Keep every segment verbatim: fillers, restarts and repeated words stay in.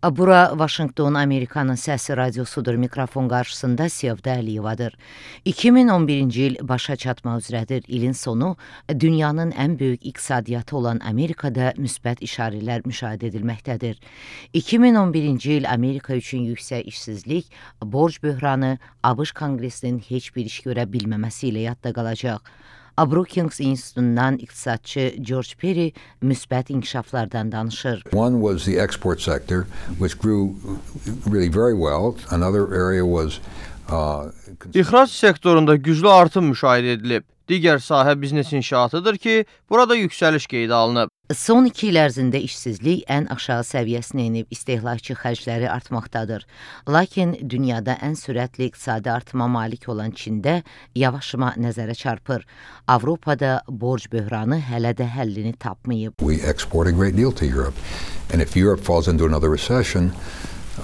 Bura Washington Amerikanın Səsi radiosudur. Mikrofon qarşısında Sevda Əliyevadır. iki min on birinci il başa çatmaq üzrədir. İlin sonu dünyanın ən böyük iqtisadiyyatı olan Amerikada müsbət işarələr müşahidə edilməkdədir. iki min on birinci il Amerika üçün yüksək işsizlik, borc böhranı, ABŞ Konqresinin heç bir iş görə bilməməsi ilə yadda qalacaq. Brookings İnstitutundan iqtisadçı George Perry müsbət inkişaflardan danışır. One was the export sector, which grew really very well. Another area was uh, İxrac sektorunda güclü artım müşahidə edilib. Digər sahə biznes inşaatıdır ki, burada yüksəliş qeydə alınıb. Son iki il ərzində işsizlik ən aşağı səviyyəsinə enib, istehlakçı xərcləri artmaqdadır. Lakin dünyada ən sürətli iqtisadi artıma malik olan Çində yavaşıma nəzərə çarpır. Avropada borc böhranı hələ də həllini tapmayıb. We export a great deal to Europe. And if Europe falls into another recession,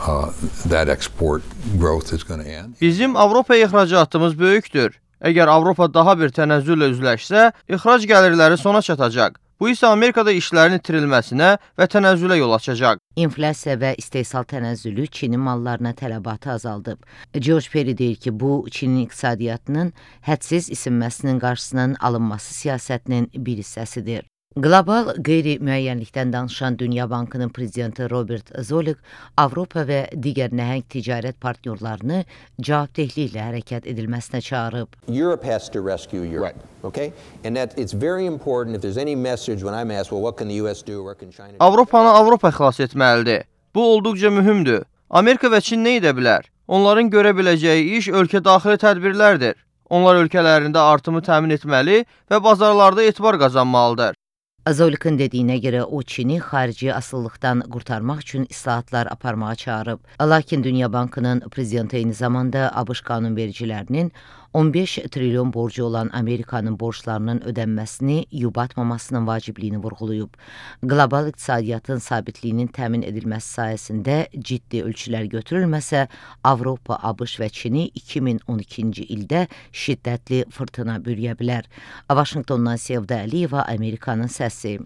uh, that export growth is going to end. Bizim Avropaya ixracatımız böyükdür. Əgər Avropa daha bir tənəzzüllə üzləşsə, ixrac gəlirləri sona çatacaq. Bu isə Amerikada işlərin itirilməsinə və tənəzzülə yol açacaq. İnflyasiya və istehsal tənəzzülü Çinin mallarına tələbatı azaldıb. George Perry deyir ki, bu Çinin iqtisadiyyatının hədsiz isinməsinin qarşısının alınması siyasətinin bir hissəsidir. Qlobal qeyri-müəyyənlikdən danışan Dünya Bankının prezidenti Robert Zoellick Avropa və digər nəhəng ticarət partnyorlarını cavabdehliklə hərəkət edilməsinə çağırıb. Europe has to rescue Europe. Right. Okay? And that it's very important if there's any message when I'm asked, well, what can the U S do, what can China do? Avropanı Avropa xilas etməlidir. Bu olduqca mühümdür. Amerika və Çin nə edə bilər? Onların görə biləcəyi iş ölkə daxili tədbirlərdir. Onlar ölkələrində artımı təmin etməli və bazarlarda etibar qazanmalıdır. Zoellick'in dediyinə görə o Çini xarici asılılıqdan qurtarmaq üçün islahatlar aparmağa çağırıb. Lakin Dünya Bankının prezidenti eyni zamanda ABŞ qanunvericilərinin on beş trilyon borcu olan Amerikanın borclarının ödənməsini yubatmamasının vacibliyini vurğulayıb. Qlobal iqtisadiyyatın sabitliyinin təmin edilməsi sayəsində ciddi ölçülər götürülməsə, Avropa, ABŞ və Çini iki min on ikinci ildə şiddətli fırtına bürüyə bilər. Washingtondan Sevda Əliyeva, Amerikanın Səsi.